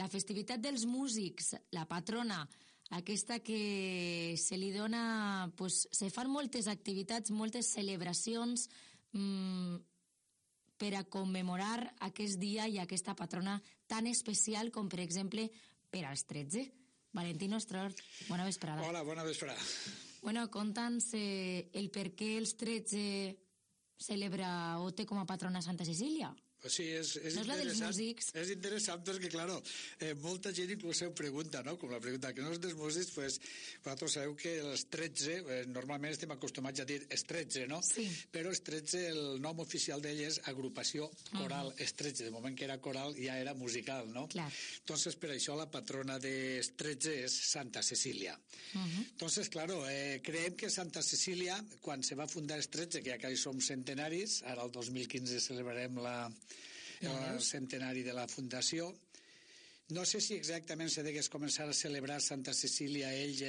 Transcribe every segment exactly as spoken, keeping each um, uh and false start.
la festivitat dels músics, la patrona, aquesta que se li dona... Pues, se fan moltes activitats, moltes celebracions mmm, per a commemorar aquest dia i aquesta patrona tan especial com, per exemple, per als tretze. Valentino Estrort, bona vesprada. Hola, bona vesprada. Bueno, conta'ns eh, el per què els tretze celebra o té com a patrona Santa Cecília. Pues sí, és, és no és la dels músics. És interessant perquè, claro, eh, molta gent inclús ho pregunta, no? Com la pregunta que no és dels músics, pues, vosaltres sabeu que els tretze, eh, normalment estem acostumats a dir els tretze, no? Sí. Però els tretze, el nom oficial d'ell és agrupació coral, uh-huh. els tretze, de moment que era coral ja era musical, no? Clar. Entonces, per això la patrona dels tretze és Santa Cecília. Uh-huh. Entonces, claro, eh, creiem que Santa Cecília, quan se va fundar els tretze, que ja que som centenaris, ara el dos mil quinze celebrarem la el centenari de la fundació. No sé si exactament se degués començar a celebrar Santa Cecília ells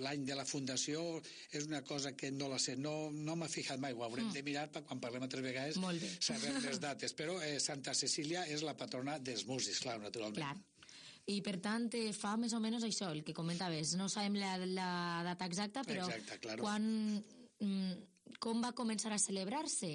l'any de la fundació, és una cosa que no la sé, no, no m'ha fijat mai, ho haurem mm. de mirar per quan parlem altres vegades saber les dates, però eh, Santa Cecília és la patrona dels músics, clar, naturalment. Clar. I per tant fa més o menys això, el que comentaves, no sabem la, la data exacta, però Exacte, claro. quan... Mm, com va començar a celebrar-se?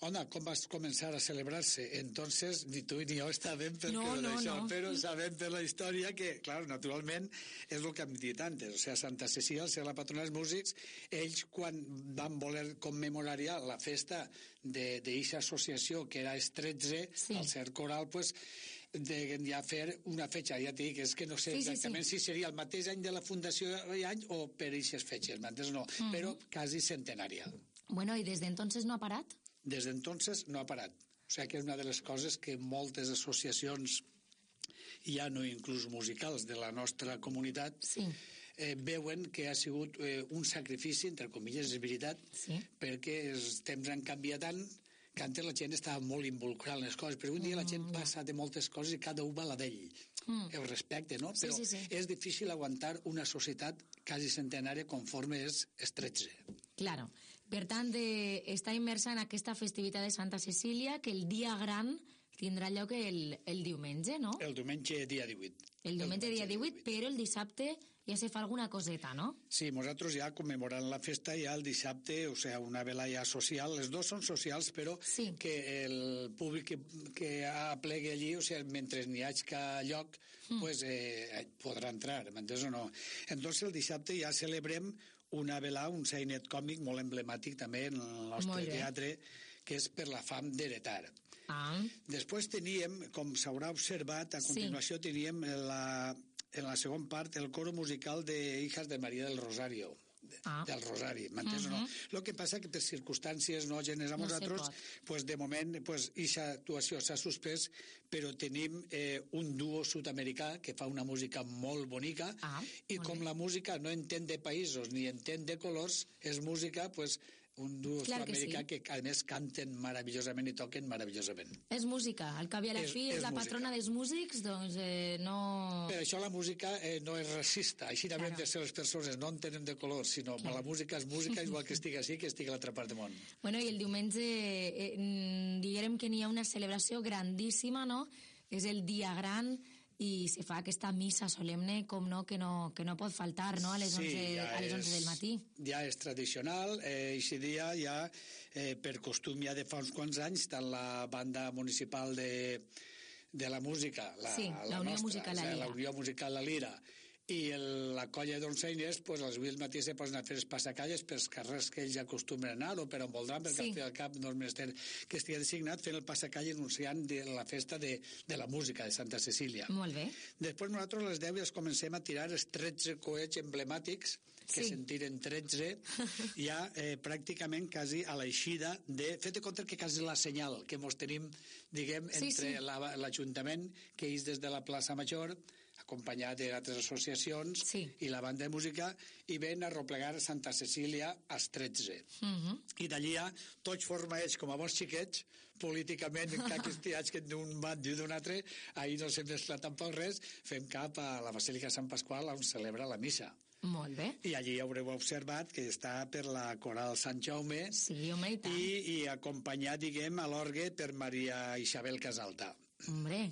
Home, com va començar a celebrar-se? Entonces, ni tu ni jo estàvem per no, no, això, no. però sabem per la història que, clar, naturalment, és el que hem dit antes, o sigui, Santa Cecília, ser la patrona dels músics, ells, quan van voler commemorar ja la festa d'eixa associació, que era els tretze, sí. al ser coral, pues, de ja fer una fetxa, ja t'he dit, és que no sé exactament sí, sí, sí. si seria el mateix any de la fundació any o per eixes fetxes, m'entens? No, uh-huh. però quasi centenària. Bueno, i des d'entonces no ha parat? Des d'entonces no ha parat. O sigui que és una de les coses que moltes associacions, ja no inclús musicals, de la nostra comunitat, sí. eh, veuen que ha sigut eh, un sacrifici, entre comilles, és veritat, sí. perquè els temps han canviat tant que antes la gent estava molt involucrada en les coses, però un dia mm, la gent ja. passa de moltes coses i cada un va a la d'ell. Mm. El respecte, no? Sí, però sí, sí. és difícil aguantar una societat quasi centenària conforme és els tretze. Claro. Per tant, de, està immersa en aquesta festivitat de Santa Cecília, que el dia gran tindrà lloc el, el diumenge, no? El diumenge dia divuit. El diumenge, el diumenge dia divuit, divuit, però el dissabte ja se fa alguna coseta, no? Sí, nosaltres ja commemorant la festa ja el dissabte, o sigui, una velada social, les dos són socials, però sí. que el públic que, que aplegui allí, o sigui, mentre n'hi hagi lloc, mm. pues, eh, podrà entrar, m'entens o no? Entonces el dissabte ja celebrem una velada, un sainet còmic molt emblemàtic també en el nostre teatre, que és per la fam d'heretar. Ah. Després teníem, com s'haurà observat, a continuació sí. teníem la, en la segona part el coro musical de Hijas de María del Rosario. Ah. del Rosari, m'entens uh-huh. o no? El que passa que per circumstàncies no genes a no nosaltres, pues de moment pues ixa actuació s'ha suspès, però tenim eh, un duo sud-americà que fa una música molt bonica ah, i com bé. La música no entén de països ni entén de colors, és música pues un duo sud-americà que, sí. que a més canten meravellosament i toquen meravellosament. És música, al cap i a la és, fi és, és la música. Patrona dels músics, doncs eh, no... Per això la música eh, no és racista, així també claro. de ser les persones no entenen de colors, sinó que la música és música igual que estigui així que estigui a l'altra part del món. Bueno, i el diumenge eh, diguem que n'hi ha una celebració grandíssima, no? És el dia gran i se fa aquesta missa solemne, com no, que no, que no pot faltar, no?, a les, sí, onze, ja a les onze és, del matí. Ja és tradicional, eh, i si dia ja, eh, per costum ja de fa uns quants anys, tant la banda municipal de, de la música, la, sí, la, la Unió nostra, Musical La Lira, la Unió Musical La Lira, i el, la colla d'onceines, pues, als vuit del matí se posen a fer els passacalles pels carrers que ells acostumen a anar o per on voldran, perquè sí. al fi al cap no és menester que estigui designat fent el passacalle anunciant de la festa de, de la música de Santa Cecília. Molt bé. Després nosaltres a les deu ja comencem a tirar els tretze coets emblemàtics, que sí. se'n tiren tretze, ja eh, pràcticament quasi a l'eixida de... Fet de compte que quasi la senyal que mos tenim, diguem, sí, entre sí. La, l'Ajuntament, que és des de la plaça Major, acompanyat d'altres associacions sí. i la banda de música, i ven a replegar Santa Cecília als tretze. Uh-huh. I d'allí ja tots formats com a bons xiquets, políticament, en cap estiats que d'un band i d'un altre, ahir no s'ha mesclat tampoc res, fem cap a la Basílica Sant Pasqual on celebra la missa. Molt bé. I allí haureu observat que està per la coral Sant Jaume sí, home, i, i, i acompanyat, diguem, a l'orgue per Maria Isabel Casalta. Hombre...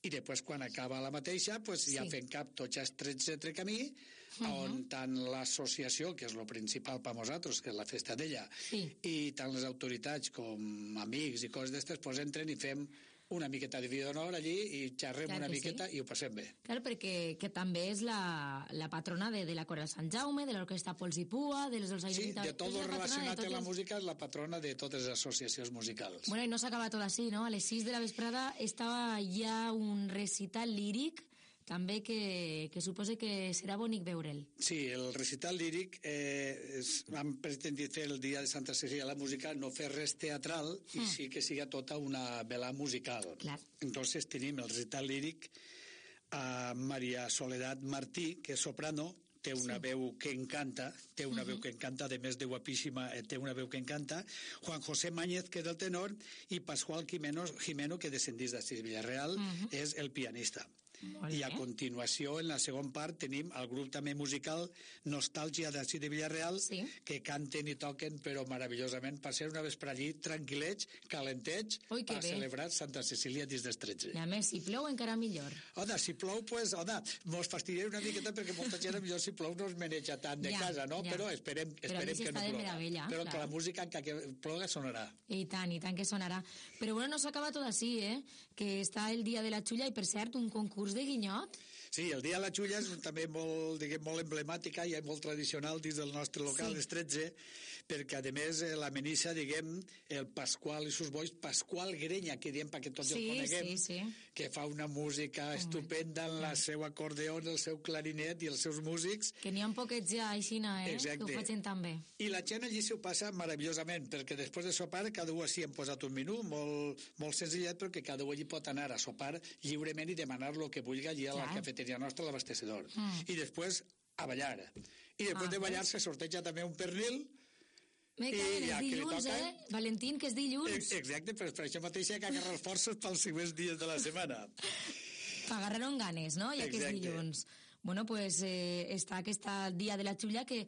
i després quan acaba la mateixa pues, ja sí. fem cap tots els tretze entre camí, uh -huh. on tant l'associació, que és el principal per nosaltres, que és la festa d'ella, sí. i tant les autoritats com amics i coses d'estes, pues, entren i fem una miqueta de vida d'honor allí i xerrem clar una miqueta sí. i ho passem bé. Clar, perquè que també és la, la patrona de, de la Cora de Sant Jaume, de l'Orquestra Pols i Pua, de les dels Sí, de tot el relacionat amb la música, és la patrona de totes les associacions musicals. Bueno, i no s'acaba tot així, no? A les sis de la vesprada estava ja un recital líric també que, que suposa que serà bonic veure'l. Sí, el recital líric eh, és, vam pretendre fer el dia de Santa Cecília la música, no fer res teatral mm. i sí que siga tota una vela musical. Clar. Entonces tenim el recital líric a Maria Soledad Martí, que és soprano, té una sí. veu que encanta, té una uh -huh. veu que encanta, a més de guapíssima, té una veu que encanta, Juan José Máñez, que és el tenor, i Pascual Jimeno, Jimeno que descendís d'Astís Villarreal, uh -huh. és el pianista. I a continuació, en la segona part, tenim el grup també musical Nostàlgia d'Astís de Villarreal, sí. que canten i toquen, però meravellosament, per ser una vespre allí, tranquil·lets, calentets, Ui, per bé. celebrar Santa Cecília dins dels tretze. I a més, si plou encara millor. Oda, si plou, pues, oda, mos fastidiaré una miqueta perquè molta gent, millor si plou no es maneja tant de ja, casa, no? Ja. Però esperem, esperem però que no ploga. Però clar. que la música, encara que ploga, sonarà. I tant, i tant que sonarà. Però bueno, no s'acaba tot així, eh? Que està el dia de la xulla i, per cert, un concurs de guinyot. Sí, el dia de la xulla és també molt, diguem, molt emblemàtica i molt tradicional dins del nostre local, sí. les tretze, perquè, a més, la menissa, diguem, el Pasqual i sus bois, Pasqual Grenya, que diem perquè tots sí, el coneguem, sí, sí. que fa una música oh, estupenda en la sí. seu acordeó, el seu clarinet i els seus músics. Que n'hi ha poquets ja, aixina, eh? Exacte. Que ho facin tan bé. I la gent allí s'ho passa meravellosament, perquè després de sopar, cada un així hem posat un menú molt, molt senzillet, però que cada un allí pot anar a sopar lliurement i demanar el que vulgui allí a la cafeteria nostra, a l'abastecedor. Mm. I després a ballar. I després ah, de ballar se sorteja també un pernil. Me caen els dilluns, toca... eh? Valentín, que és dilluns. Exacte, però per això mateix hi ha que agarrar forces pels següents dies de la setmana. Agarraron ganes, no? Ja que és dilluns. Bueno, pues eh, està aquest dia de la xulla que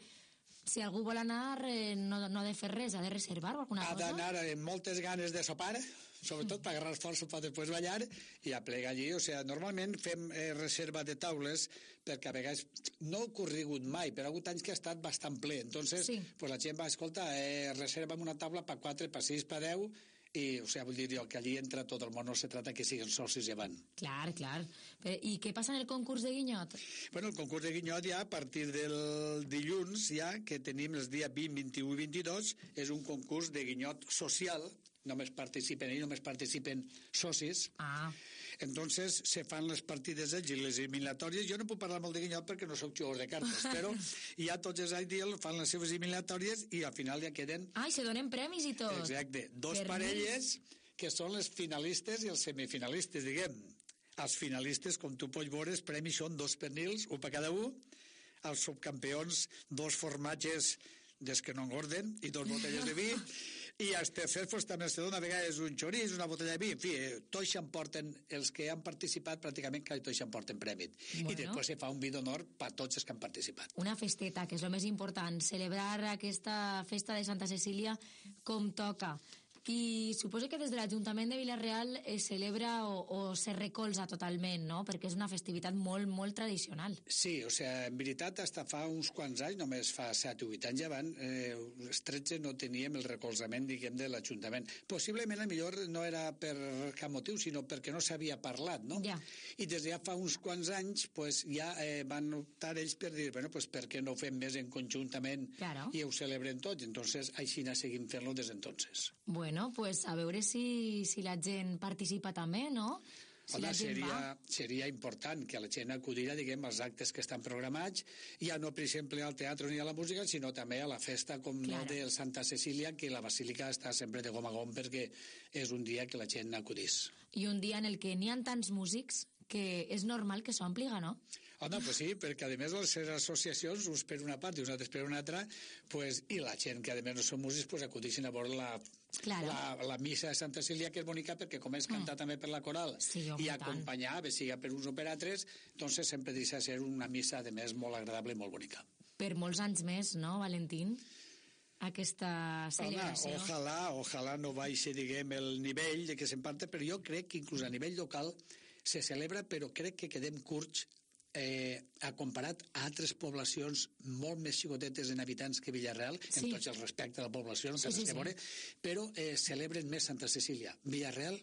si algú vol anar eh, no, no ha de fer res, ha de reservar o alguna ha cosa. Ha d'anar amb moltes ganes de sopar, sobretot per agarrar força per després ballar i a plegar allí. O sigui, normalment fem eh, reserva de taules perquè a vegades no ha ocorregut mai, però ha hagut anys que ha estat bastant ple. Entonces, sí. pues la gent va, escolta, eh, reserva'm una taula per quatre, per sis, per deu, i, o sigui, vull dir jo que allí entra tot el món, no se trata que siguin socis llevant. Clar, clar. I què passa en el concurs de guinyot? Bueno, el concurs de guinyot ja a partir del dilluns, ja que tenim els dies vint, vint-i-u i vint-i-dos, és un concurs de guinyot social, només participen ells, només participen socis. Ah. Entonces se fan les partides i les eliminatòries. Jo no puc parlar molt de guinyot perquè no sóc jugador de cartes, però ja tots els anys fan les seves eliminatòries i al final ja queden... Ah, i se donen premis i tot. Exacte. Dos per parelles que són les finalistes i els semifinalistes, diguem. Els finalistes, com tu pots veure, els premis són dos pernils, un per cada un. Els subcampions, dos formatges des que no engorden i dos botelles de vi. I els tercers pues, també se dona a vegades un xorís, una botella de vi, en fi, eh, tots s'emporten, els que han participat pràcticament quasi tots s'emporten prèmit. Bueno. I després se fa un vi d'honor per tots els que han participat. Una festeta, que és el més important, celebrar aquesta festa de Santa Cecília com toca. I suposo que des de l'Ajuntament de Vila-real es celebra o, o se recolza totalment, no? Perquè és una festivitat molt, molt tradicional. Sí, o sigui, en veritat, hasta fa uns quants anys, només fa set o vuit anys avant, eh, els tretze no teníem el recolzament, diguem, de l'Ajuntament. Possiblement, a millor no era per cap motiu, sinó perquè no s'havia parlat, no? Ja. I des de ja fa uns quants anys, pues, ja eh, van optar ells per dir, bueno, pues, per què no ho fem més en conjuntament claro. I ho celebrem tots? Entonces, així seguim fent-lo des d'entonces. Bueno, pues a veure si, si la gent participa també, no? Si Home, seria, seria important que la gent acudira, diguem, als actes que estan programats, ja no, per exemple, al teatre ni a la música, sinó també a la festa com claro. no, de Santa Cecília, que la basílica està sempre de gom a gom perquè és un dia que la gent acudís. I un dia en el que n'hi ha tants músics que és normal que s'ompliga, no? Home, pues sí, perquè a més les associacions, uns per una part i uns altres per una altra, pues, i la gent que a més no són músics, pues, acudixen a veure la, claro. la, la missa de Santa Cecília, que és bonica perquè com és cantar mm. també per la coral sí, i acompanyar, bé siga per uns o per altres, doncs sempre deixa ser una missa de més molt agradable i molt bonica. Per molts anys més, no, Valentín? Aquesta celebració. Home, ojalà, ojalà no baixi, diguem, el nivell de què se'n parla, però jo crec que inclús a nivell local se celebra, però crec que quedem curts eh, a comparat a altres poblacions molt més xicotetes en habitants que Villarreal, sí. en tots els respectes a la població, no sí, sí, sí. Veure, però eh, celebren més Santa Cecília. Villarreal,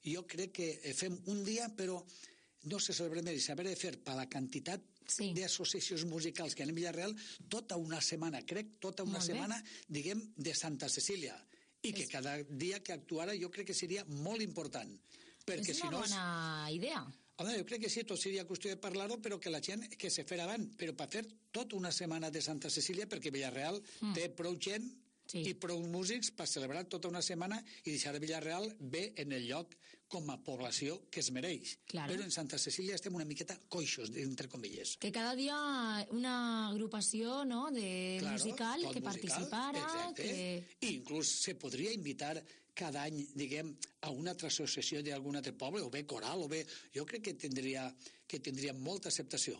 jo crec que fem un dia, però no se celebra més. S'haver de fer per la quantitat sí. d'associacions musicals que hi ha en Villarreal tota una setmana, crec, tota una setmana, diguem, de Santa Cecília. I que cada dia que actuara jo crec que seria molt important. Perquè és una si no bona és... idea. Home, jo crec que sí, tot seria qüestió de parlar-ho, però que la gent que se fer avant, però per fer tota una setmana de Santa Cecília, perquè Villarreal mm. té prou gent sí. i prou músics per celebrar tota una setmana i deixar Villarreal bé en el lloc com a població que es mereix. Claro. Però en Santa Cecília estem una miqueta coixos, entre comilles. Que cada dia una agrupació no, de claro, musical que musical, participara. Que... I inclús se podria invitar cada any, diguem, a una altra associació d'algun altre poble, o bé coral, o bé... Jo crec que tindria, que tindria molta acceptació.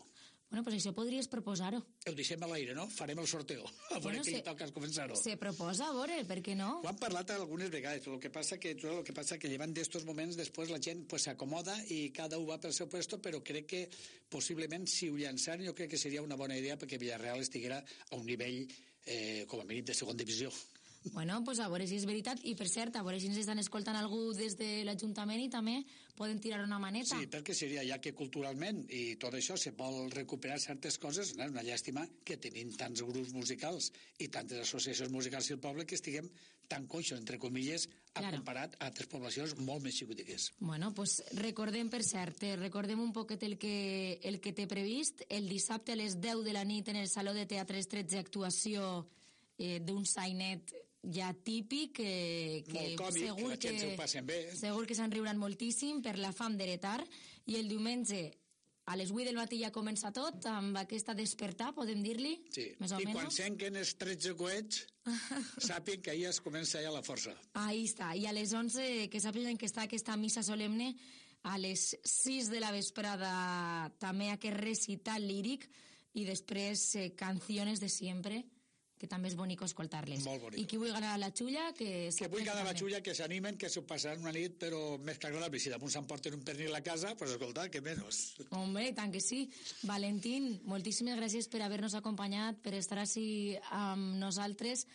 Bueno, pues això podries proposar-ho. Ho deixem a l'aire, no? Farem el sorteo. A veure bueno, qui li toca començar-ho. Se proposa, a veure, per què no? Ho han parlat algunes vegades, però el que passa que el que passa que llevant d'estos moments després la gent pues, s'acomoda i cada un va pel seu puesto, però crec que possiblement si ho llançaren jo crec que seria una bona idea perquè Villarreal estiguera a un nivell eh, com a mínim de segona divisió. Bueno, pues a veure si és veritat. I per cert, a veure si ens estan escoltant algú des de l'Ajuntament i també poden tirar una maneta. Sí, perquè seria ja que culturalment i tot això se vol recuperar certes coses, no? És una llàstima que tenim tants grups musicals i tantes associacions musicals al poble que estiguem tan coixos, entre comilles, a claro. comparat a altres poblacions molt més xicotiques. Bueno, pues recordem, per cert, recordem un poquet el que, el que té previst. El dissabte a les deu de la nit en el Saló de Teatres tretze actuació eh, d'un sainet ja típic, que, que molt còmic, segur que, que, que bé. segur que se'n riuran moltíssim per la fam d'heretar, i el diumenge a les vuit del matí ja comença tot amb aquesta despertar, podem dir-li? Sí, més o i menos. Quan senquen els tretze coets sàpien que ahir es comença ja la força. Ahí està, i a les onze que sàpiguen que està aquesta missa solemne, a les sis de la vesprada també aquest recital líric i després eh, canciones de siempre, que també és bonic escoltar-les. Molt bonic. I qui vull ganar la xulla, que... Que vull ganar la xulla, que s'animen, que s'ho passaran una nit, però més que agradable. Si damunt s'emporten un pernil a casa, pues escolta, que menys. Hombre, tant que sí. Valentín, moltíssimes gràcies per haver-nos acompanyat, per estar així amb nosaltres